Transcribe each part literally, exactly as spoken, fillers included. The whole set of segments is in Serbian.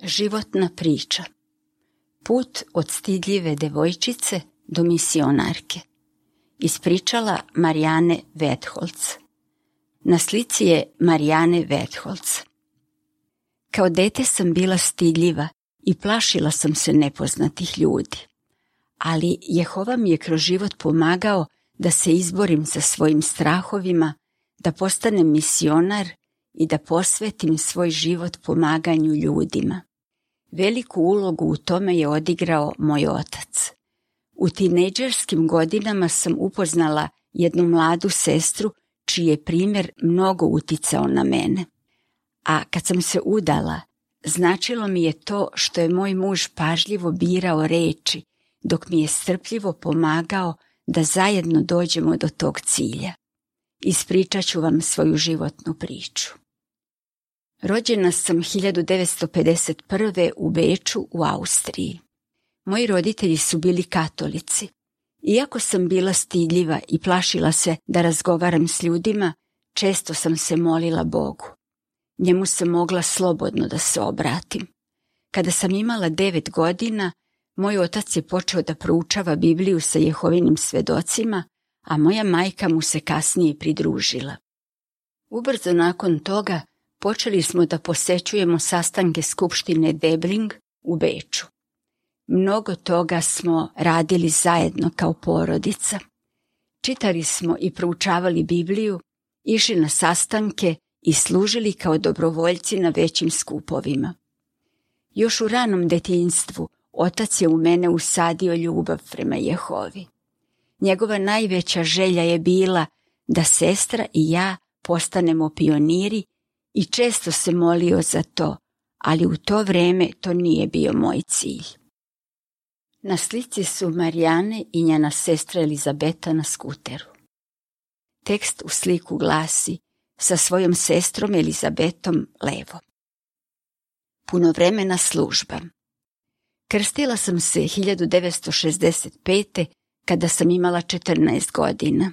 Životna priča. Put od stidljive devojčice do misionarke. Ispričala Marijane Vetholz. Na slici je Marijane Vetholz. Kao dete sam bila stidljiva i plašila sam se nepoznatih ljudi. Ali Jehova mi je kroz život pomagao da se izborim sa svojim strahovima, da postanem misionar i da posvetim svoj život pomaganju ljudima. Veliku ulogu u tome je odigrao moj otac. U tinejdžerskim godinama sam upoznala jednu mladu sestru čiji je primjer mnogo uticao na mene. A kad sam se udala, značilo mi je to što je moj muž pažljivo birao reči, dok mi je strpljivo pomagao da zajedno dođemo do tog cilja. Ispričat ću vam svoju životnu priču. Rođena sam hiljadu devetsto pedeset prve. u Beču u Austriji. Moji roditelji su bili katolici. Iako sam bila stidljiva i plašila se da razgovaram s ljudima, često sam se molila Bogu. Njemu sam mogla slobodno da se obratim. Kada sam imala devet godina, moj otac je počeo da proučava Bibliju sa Jehovinim svedocima, a moja majka mu se kasnije pridružila. Ubrzo nakon toga počeli smo da posećujemo sastanke skupštine Debling u Beču. Mnogo toga smo radili zajedno kao porodica. Čitali smo i proučavali Bibliju, išli na sastanke i služili kao dobrovoljci na većim skupovima. Još u ranom detinjstvu otac je u mene usadio ljubav prema Jehovi. Njegova najveća želja je bila da sestra i ja postanemo pioniri i često se molio za to, ali u to vreme to nije bio moj cilj. Na slici su Marijane i njena sestra Elizabeta na skuteru. Tekst u sliku glasi: sa svojom sestrom Elizabetom levo. Punovremena služba. Krstila sam se hiljadu devetsto šezdeset pete. kada sam imala četrnaest godina.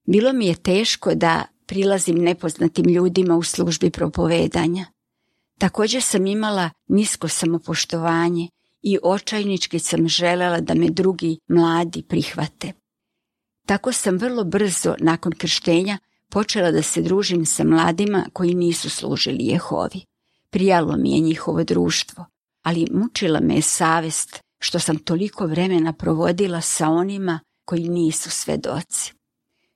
Bilo mi je teško da prilazim nepoznatim ljudima u službi propovedanja. Također sam imala nisko samopoštovanje i očajnički sam želela da me drugi mladi prihvate. Tako sam vrlo brzo nakon krštenja počela da se družim sa mladima koji nisu služili Jehovi. Prijalo mi je njihovo društvo, ali mučila me je savest što sam toliko vremena provodila sa onima koji nisu svedoci.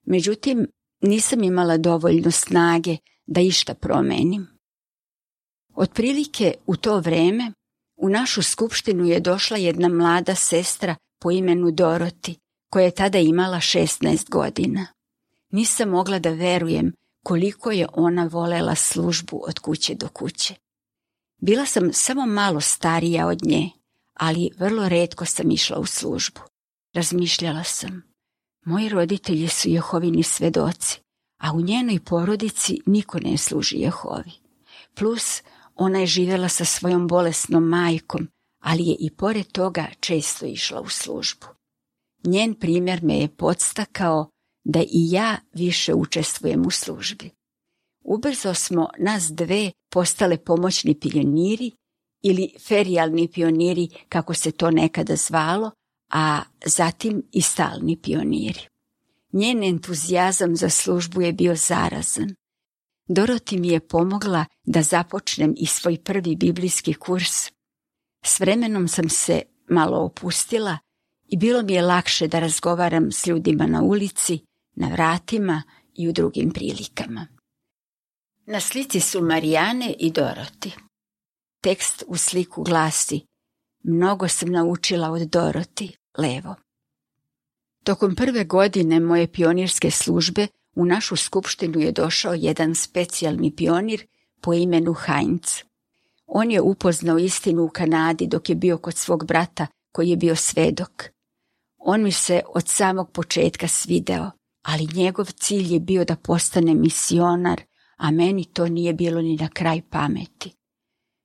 Međutim, nisam imala dovoljno snage da išta promenim. Otprilike u to vreme u našu skupštinu je došla jedna mlada sestra po imenu Doroti, koja je tada imala šesnaest godina. Nisam mogla da verujem koliko je ona volela službu od kuće do kuće. Bila sam samo malo starija od nje, ali vrlo retko sam išla u službu. Razmišljala sam, moji roditelji su Jehovini svedoci, a u njenoj porodici niko ne služi Jehovi. Plus, ona je živjela sa svojom bolesnom majkom, ali je i pored toga često išla u službu. Njen primjer me je podstakao da i ja više učestvujem u službi. Ubrzo smo nas dve postale pomoćni pioniri ili ferijalni pioniri, kako se to nekada zvalo, a zatim i stalni pioniri. Njen entuzijazam za službu je bio zarazan. Doroti mi je pomogla da započnem i svoj prvi biblijski kurs. S vremenom sam se malo opustila i bilo mi je lakše da razgovaram s ljudima na ulici, na vratima i u drugim prilikama. Na slici su Marijane i Doroti. Tekst u sliku glasi: mnogo sam naučila od Doroti, levo. Tokom prve godine moje pionirske službe u našu skupštinu je došao jedan specijalni pionir po imenu Heinz. On je upoznao istinu u Kanadi dok je bio kod svog brata koji je bio svedok. On mi se od samog početka svideo, ali njegov cilj je bio da postane misionar, a meni to nije bilo ni na kraj pameti.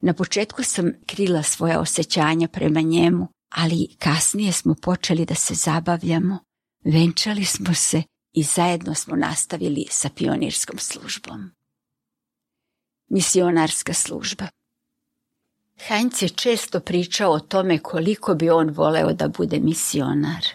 Na početku sam krila svoja osjećanja prema njemu, ali kasnije smo počeli da se zabavljamo, venčali smo se i zajedno smo nastavili sa pionirskom službom. Misionarska služba. Heinz je često pričao o tome koliko bi on voleo da bude misionar.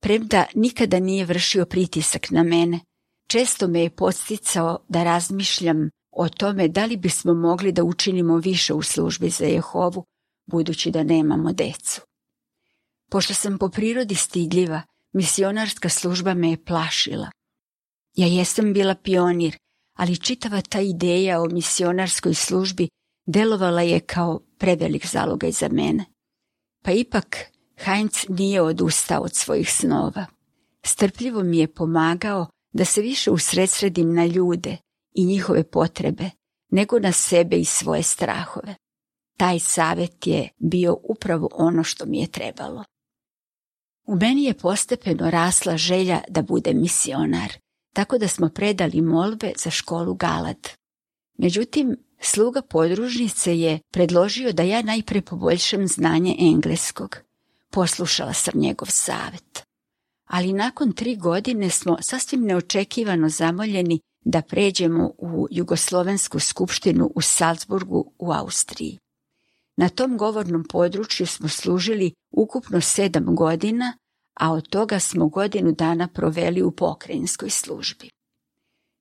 Premda nikada nije vršio pritisak na mene, često me je podsticao da razmišljam o tome da li bismo mogli da učinimo više u službi za Jehovu, budući da nemamo decu. Pošto sam po prirodi stidljiva, misionarska služba me je plašila. Ja jesam bila pionir, ali čitava ta ideja o misionarskoj službi delovala je kao prevelik zalogaj za mene. Pa ipak Heinz nije odustao od svojih snova. Strpljivo mi je pomagao da se više usredsredim na ljude i njihove potrebe, nego na sebe i svoje strahove. Taj savjet je bio upravo ono što mi je trebalo. U meni je postepeno rasla želja da budem misionar, tako da smo predali molbe za školu Galad. Međutim, sluga podružnice je predložio da ja najpre poboljšam znanje engleskog. Poslušala sam njegov savjet. Ali nakon tri godine smo sasvim neočekivano zamoljeni da pređemo u Jugoslovensku skupštinu u Salzburgu u Austriji. Na tom govornom području smo služili ukupno sedam godina, a od toga smo godinu dana proveli u pokrajinskoj službi.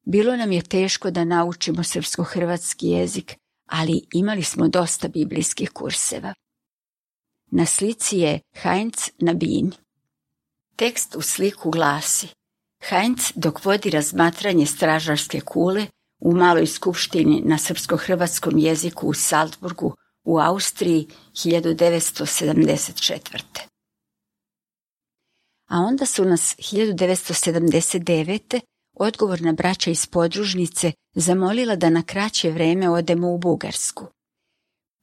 Bilo nam je teško da naučimo srpsko-hrvatski jezik, ali imali smo dosta biblijskih kurseva. Na slici je Heinz na bini. Tekst u sliku glasi: Heinz dok vodi razmatranje stražarske kule u maloj skupštini na srpsko-hrvatskom jeziku u Salzburgu u Austriji hiljadu devetsto sedamdeset četvrte. A onda su nas hiljadu devetsto sedamdeset devete odgovorna braća iz podružnice zamolila da na kraće vreme odemo u Bugarsku.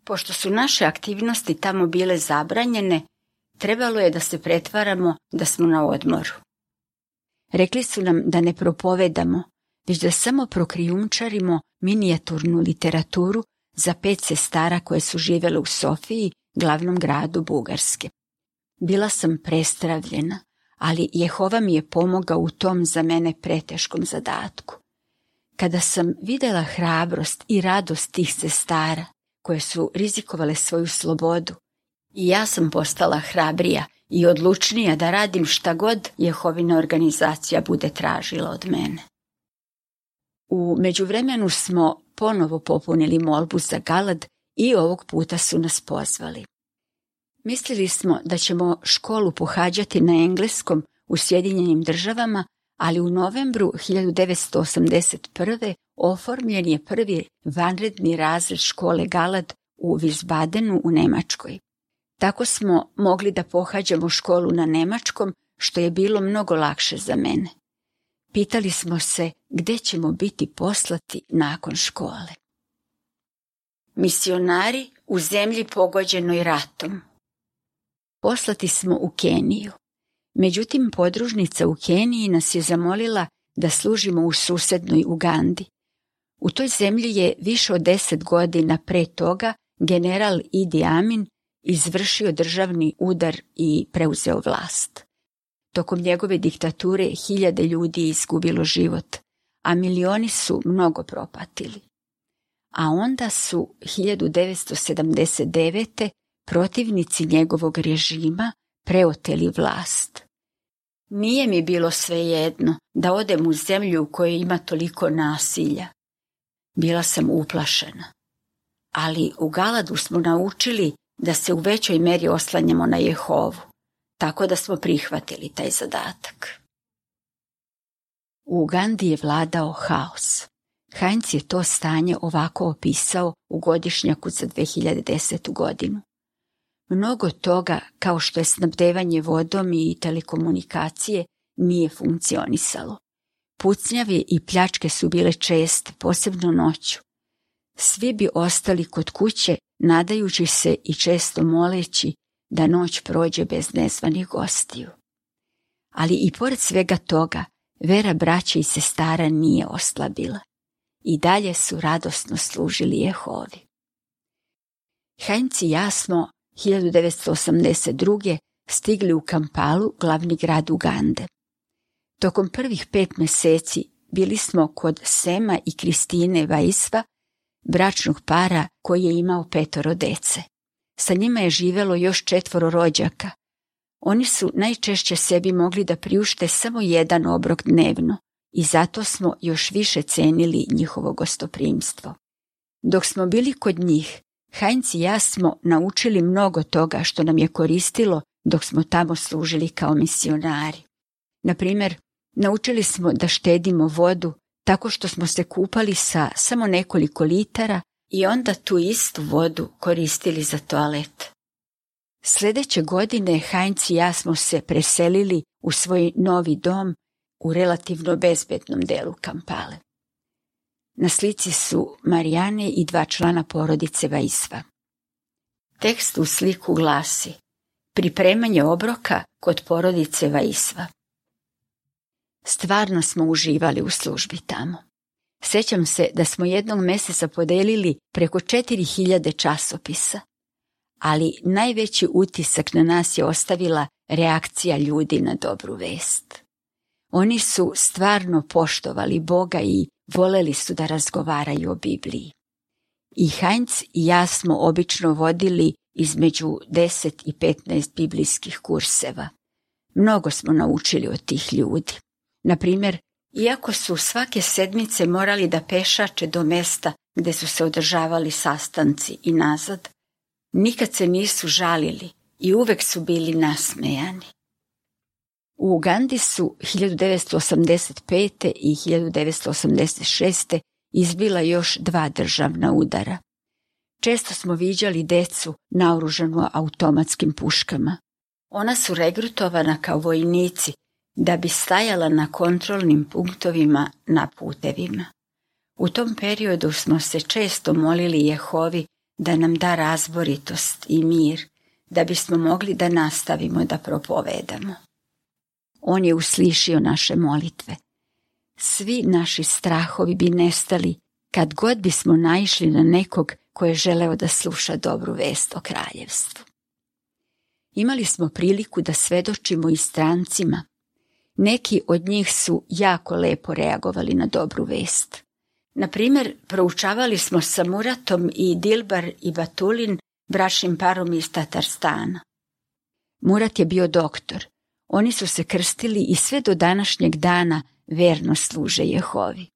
Pošto su naše aktivnosti tamo bile zabranjene, trebalo je da se pretvaramo da smo na odmoru. Rekli su nam da ne propovedamo, već da samo prokrijumčarimo minijaturnu literaturu za pet sestara koje su živjele u Sofiji, glavnom gradu Bugarske. Bila sam prestravljena, ali Jehova mi je pomogao u tom za mene preteškom zadatku. Kada sam vidjela hrabrost i radost tih sestara, koje su rizikovale svoju slobodu, i ja sam postala hrabrija i odlučnija da radim šta god Jehovina organizacija bude tražila od mene. U međuvremenu smo ponovo popunili molbu za Galad i ovog puta su nas pozvali. Mislili smo da ćemo školu pohađati na engleskom u Sjedinjenim državama, ali u novembru hiljadu devetsto osamdeset prve oformljen je prvi vanredni razred škole Galad u Wiesbadenu u Njemačkoj. Tako smo mogli da pohađamo školu na nemačkom, što je bilo mnogo lakše za mene. Pitali smo se gde ćemo biti poslati nakon škole. Misionari u zemlji pogođenoj ratom. Poslati smo u Keniju. Međutim, podružnica u Keniji nas je zamolila da služimo u susednoj Ugandi. U toj zemlji je više od deset godina pre toga general Idi Amin izvršio državni udar i preuzeo vlast. Tokom njegove diktature hiljade ljudi je izgubilo život, a milioni su mnogo propatili. A onda su hiljadu devetsto sedamdeset devete protivnici njegovog režima preoteli vlast. Nije mi bilo svejedno da odem u zemlju u kojoj ima toliko nasilja. Bila sam uplašena. Ali u Galadu smo naučili da se u većoj meri oslanjamo na Jehovu, tako da smo prihvatili taj zadatak. U Ugandi je vladao haos. Heinz je to stanje ovako opisao u godišnjaku za dve hiljade desetu godinu. Mnogo toga, kao što je snabdevanje vodom i telekomunikacije, nije funkcionisalo. Pucnjavi i pljačke su bile česte, posebno noću. Svi bi ostali kod kuće, nadajući se i često moleći da noć prođe bez nezvanih gostiju. Ali i pored svega toga, vera braće i sestara nije oslabila. I dalje su radosno služili Jehovi. Heinz i ja smo hiljadu devetsto osamdeset druge stigli u Kampalu, glavni grad Ugande. Tokom prvih pet meseci bili smo kod Sema i Kristine Vaisva, bračnog para koji je imao petoro dece. Sa njima je živelo još četvoro rođaka. Oni su najčešće sebi mogli da priušte samo jedan obrok dnevno i zato smo još više cenili njihovo gostoprimstvo. Dok smo bili kod njih, Heinz i ja smo naučili mnogo toga što nam je koristilo dok smo tamo služili kao misionari. Na primjer, naučili smo da štedimo vodu tako što smo se kupali sa samo nekoliko litara i onda tu istu vodu koristili za toalet. Sljedeće godine Heinz i ja smo se preselili u svoj novi dom u relativno bezbednom delu Kampale. Na slici su Marijane i dva člana porodice Vaisva. Tekst u sliku glasi: pripremanje obroka kod porodice Vaisva. Stvarno smo uživali u službi tamo. Sjećam se da smo jednog mjeseca podelili preko četiri hiljade časopisa, ali najveći utisak na nas je ostavila reakcija ljudi na dobru vest. Oni su stvarno poštovali Boga i voleli su da razgovaraju o Bibliji. I Heinz i ja smo obično vodili između deset i petnaest biblijskih kurseva. Mnogo smo naučili od tih ljudi. Na primjer, iako su svake sedmice morali da pešače do mesta gde su se održavali sastanci i nazad, nikad se nisu žalili i uvek su bili nasmejani. U Ugandi su hiljadu devetsto osamdeset pete. i hiljadu devetsto osamdeset šeste. izbila još dva državna udara. Često smo viđali decu naoružanu automatskim puškama. Ona su regrutovana kao vojnici da bi stajala na kontrolnim punktovima na putevima. U tom periodu smo se često molili Jehovi da nam da razboritost i mir, da bismo mogli da nastavimo da propovedamo. On je uslišio naše molitve. Svi naši strahovi bi nestali kad god bismo naišli na nekog ko je želeo da sluša dobru vest o kraljevstvu. Imali smo priliku da svedočimo i strancima. Neki od njih su jako lepo reagovali na dobru vest. Na primjer, proučavali smo sa Muratom i Dilbar i Batulin, bračnim parom iz Tatarstana. Murat je bio doktor. Oni su se krstili i sve do današnjeg dana verno služe Jehovi.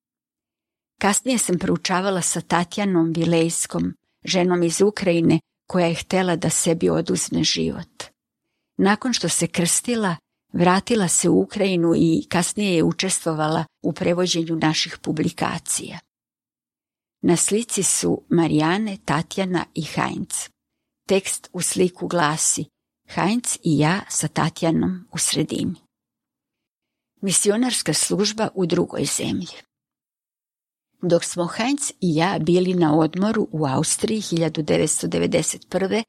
Kasnije sam proučavala sa Tatjanom Vilejskom, ženom iz Ukrajine koja je htjela da sebi oduzme život. Nakon što se krstila, vratila se u Ukrajinu i kasnije je učestvovala u prevođenju naših publikacija. Na slici su Marijane, Tatjana i Heinz. Tekst u sliku glasi: Heinz i ja sa Tatjanom u sredini. Misionarska služba u drugoj zemlji. Dok smo Heinz i ja bili na odmoru u Austriji hiljadu devetsto devedeset prve.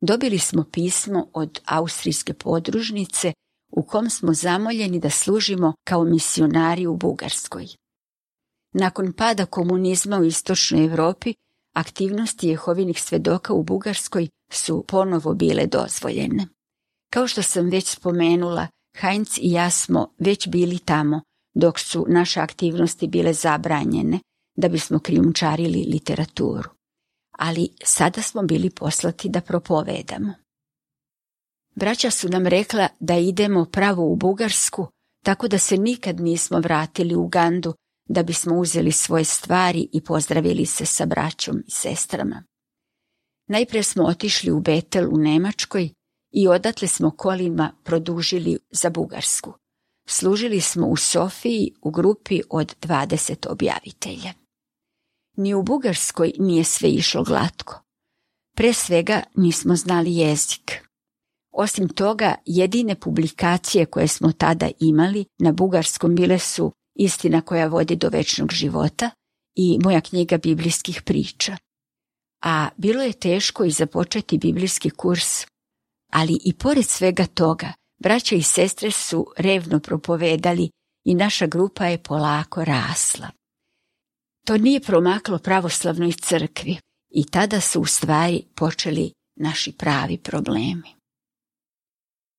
dobili smo pismo od austrijske podružnice u kom smo zamoljeni da služimo kao misionari u Bugarskoj. Nakon pada komunizma u istočnoj Europi, aktivnosti Jehovinih svedoka u Bugarskoj su ponovo bile dozvoljene. Kao što sam već spomenula, Heinz i ja smo već bili tamo dok su naše aktivnosti bile zabranjene da bismo krijumčarili literaturu. Ali sada smo bili poslati da propovedamo. Braća su nam rekla da idemo pravo u Bugarsku, tako da se nikad nismo vratili u Ugandu da bismo uzeli svoje stvari i pozdravili se sa braćom i sestrama. Najprije smo otišli u Betel u Nemačkoj i odatle smo kolima produžili za Bugarsku. Služili smo u Sofiji u grupi od dvadeset objavitelja. Ni u Bugarskoj nije sve išlo glatko. Pre svega nismo znali jezik. Osim toga, jedine publikacije koje smo tada imali na bugarskom bile su Istina koja vodi do večnog života i moja knjiga biblijskih priča. A bilo je teško i započeti biblijski kurs. Ali i pored svega toga, braća i sestre su revno propovedali i naša grupa je polako rasla. To nije promaklo pravoslavnoj crkvi i tada su u stvari počeli naši pravi problemi.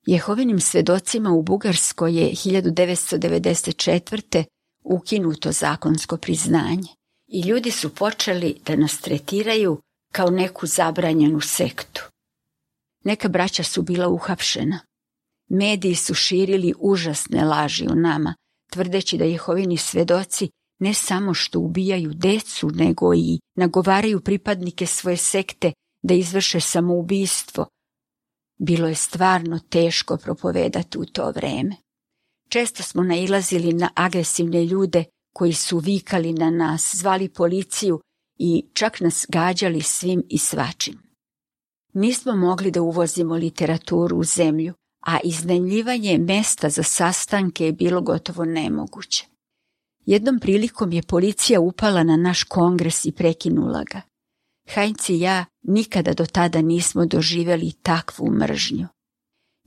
Jehovinim svedocima u Bugarskoj je hiljadu devetsto devedeset četvrte ukinuto zakonsko priznanje i ljudi su počeli da nas tretiraju kao neku zabranjenu sektu. Neka braća su bila uhapšena. Mediji su širili užasne laži o nama, tvrdeći da Jehovini svedoci ne samo što ubijaju decu, nego i nagovaraju pripadnike svoje sekte da izvrše samoubistvo. Bilo je stvarno teško propovedati u to vreme. Često smo nailazili na agresivne ljude koji su vikali na nas, zvali policiju i čak nas gađali svim i svačim. Nismo mogli da uvozimo literaturu u zemlju, a iznajmljivanje mesta za sastanke je bilo gotovo nemoguće. Jednom prilikom je policija upala na naš kongres i prekinula ga. Heinz i ja nikada do tada nismo doživjeli takvu mržnju.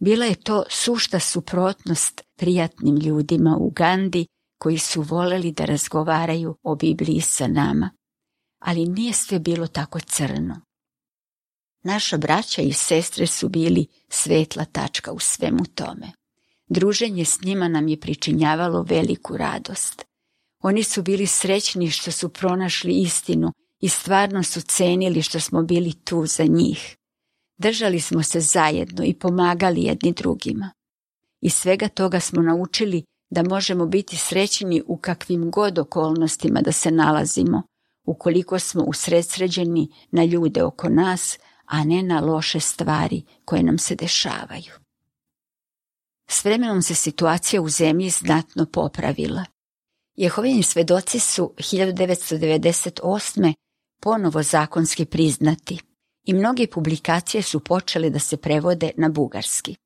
Bila je to sušta suprotnost prijatnim ljudima u Ugandi koji su voleli da razgovaraju o Bibliji sa nama. Ali nije sve bilo tako crno. Naša braća i sestre su bili svetla tačka u svemu tome. Druženje s njima nam je pričinjavalo veliku radost. Oni su bili srećni što su pronašli istinu i stvarno su cenili što smo bili tu za njih. Držali smo se zajedno i pomagali jedni drugima. Iz svega toga smo naučili da možemo biti srećni u kakvim god okolnostima da se nalazimo, ukoliko smo usredsređeni na ljude oko nas, a ne na loše stvari koje nam se dešavaju. S vremenom se situacija u zemlji znatno popravila. Jehovini svedoci su hiljadu devetsto devedeset osme ponovo zakonski priznati i mnoge publikacije su počele da se prevode na bugarski.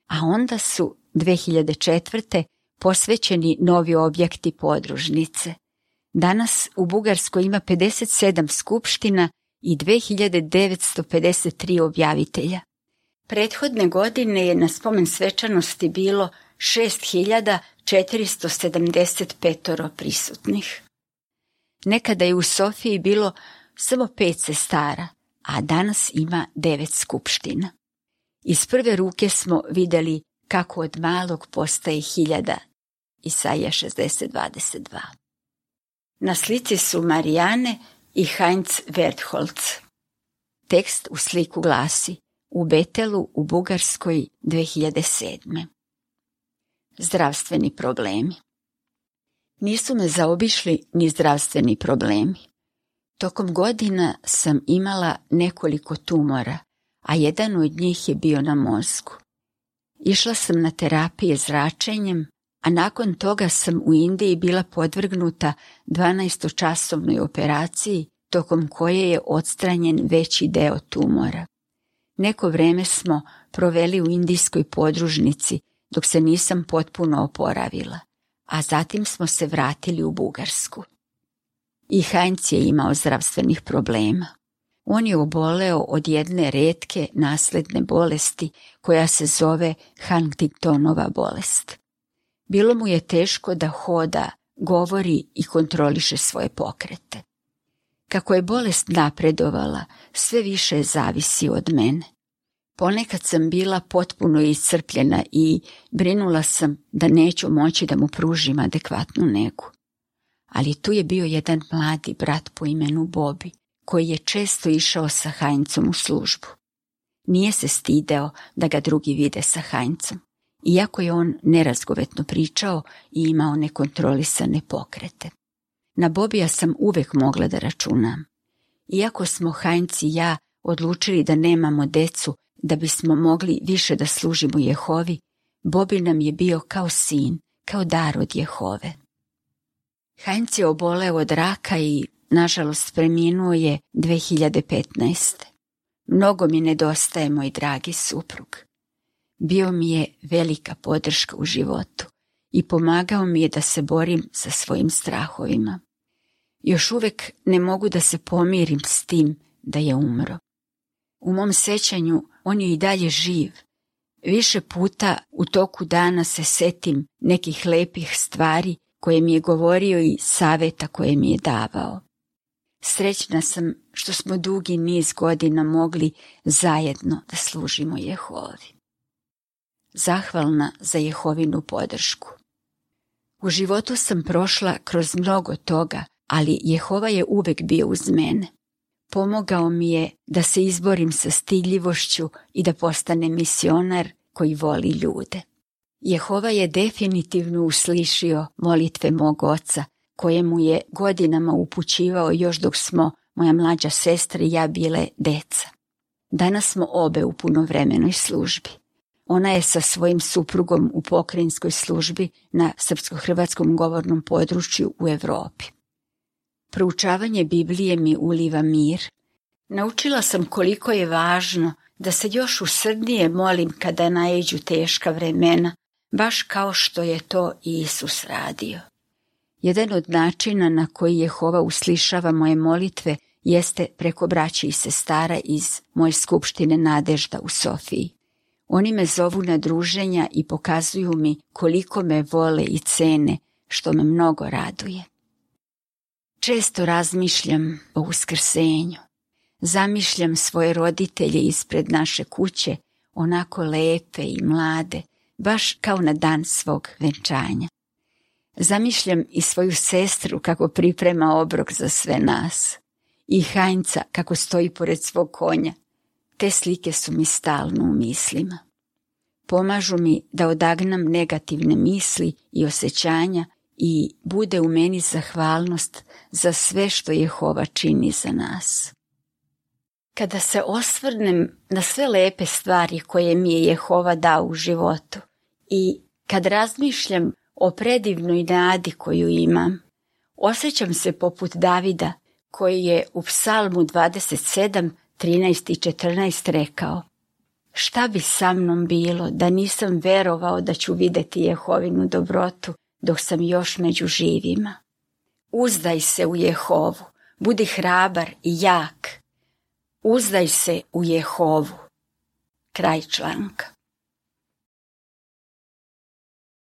A onda su dve hiljade četvrte posvećeni novi objekti podružnice. Danas u Bugarskoj ima pedeset sedam skupština i dve hiljade devetsto pedeset tri objavitelja. Prethodne godine je na spomen svečanosti bilo šest hiljada četiristo sedamdeset pet prisutnih. Nekada je u Sofiji bilo samo pet sestara, a danas ima devet skupština. Iz prve ruke smo vidjeli kako od malog postaje hiljada. Isaija šezdeset dvadeset dva. Na slici su Marijane i Heinz Wertholz. Tekst u sliku glasi: u Betelu u Bugarskoj dve hiljade sedme. Zdravstveni problemi. Nisu me zaobišli ni zdravstveni problemi. Tokom godina sam imala nekoliko tumora, a jedan od njih je bio na mozgu. Išla sam na terapije zračenjem, a nakon toga sam u Indiji bila podvrgnuta dvanaestočasovnoj operaciji, tokom koje je odstranjen veći deo tumora. Neko vreme smo proveli u indijskoj podružnici dok se nisam potpuno oporavila, a zatim smo se vratili u Bugarsku. I Heinz je imao zdravstvenih problema. On je oboleo od jedne retke nasledne bolesti koja se zove Huntingtonova bolest. Bilo mu je teško da hoda, govori i kontroliše svoje pokrete. Kako je bolest napredovala, sve više zavisi od mene. Ponekad sam bila potpuno iscrpljena i brinula sam da neću moći da mu pružim adekvatnu negu. Ali tu je bio jedan mladi brat po imenu Bobby, koji je često išao sa Heinzom u službu. Nije se stideo da ga drugi vide sa Heinzom, iako je on nerazgovetno pričao i imao nekontrolisane pokrete. Na Bobija sam uvek mogla da računam. Iako smo Heinz i ja odlučili da nemamo decu da bismo mogli više da služimo Jehovi, Bobby nam je bio kao sin, kao dar od Jehove. Heinz je oboleo od raka i, nažalost, preminuo je dve hiljade petnaeste. Mnogo mi nedostaje moj dragi suprug. Bio mi je velika podrška u životu i pomagao mi je da se borim sa svojim strahovima. Još uvek ne mogu da se pomirim s tim da je umro. U mom sećanju on je i dalje živ. Više puta u toku dana se setim nekih lepih stvari koje mi je govorio i saveta koje mi je davao. Srećna sam što smo dugi niz godina mogli zajedno da služimo Jehovi. Zahvalna za Jehovinu podršku. U životu sam prošla kroz mnogo toga ali Jehova je uvek bio uz mene. Pomogao mi je da se izborim sa stidljivošću i da postanem misionar koji voli ljude. Jehova je definitivno uslišio molitve mog oca, kojemu je godinama upućivao još dok smo, moja mlađa sestra i ja, bile deca. Danas smo obe u punovremenoj službi. Ona je sa svojim suprugom u pokrajinskoj službi na srpsko-hrvatskom govornom području u Evropi. Proučavanje Biblije mi uliva mir. Naučila sam koliko je važno da se još usrdnije molim kada naiđu teška vremena, baš kao što je to i Isus radio. Jedan od načina na koji Jehova uslišava moje molitve jeste preko braće i sestara iz moje skupštine Nadežda u Sofiji. Oni me zovu na druženja i pokazuju mi koliko me vole i cene, što me mnogo raduje. Često razmišljam o uskrsenju. Zamišljam svoje roditelje ispred naše kuće, onako lepe i mlade, baš kao na dan svog venčanja. Zamišljam i svoju sestru kako priprema obrok za sve nas. I Hajnca kako stoji pored svog konja. Te slike su mi stalno u mislima. Pomažu mi da odagnam negativne misli i osjećanja i bude u meni zahvalnost za sve što Jehova čini za nas. Kada se osvrnem na sve lepe stvari koje mi je Jehova dao u životu i kad razmišljam o predivnoj nadi koju imam, osjećam se poput Davida koji je u Psalmu dvadeset sedam, trinaest i četrnaest rekao: šta bi sa mnom bilo da nisam verovao da ću vidjeti Jehovinu dobrotu dok sam još među živima. Uzdaj se u Jehovu, budi hrabar i jak. Uzdaj se u Jehovu. Kraj članka.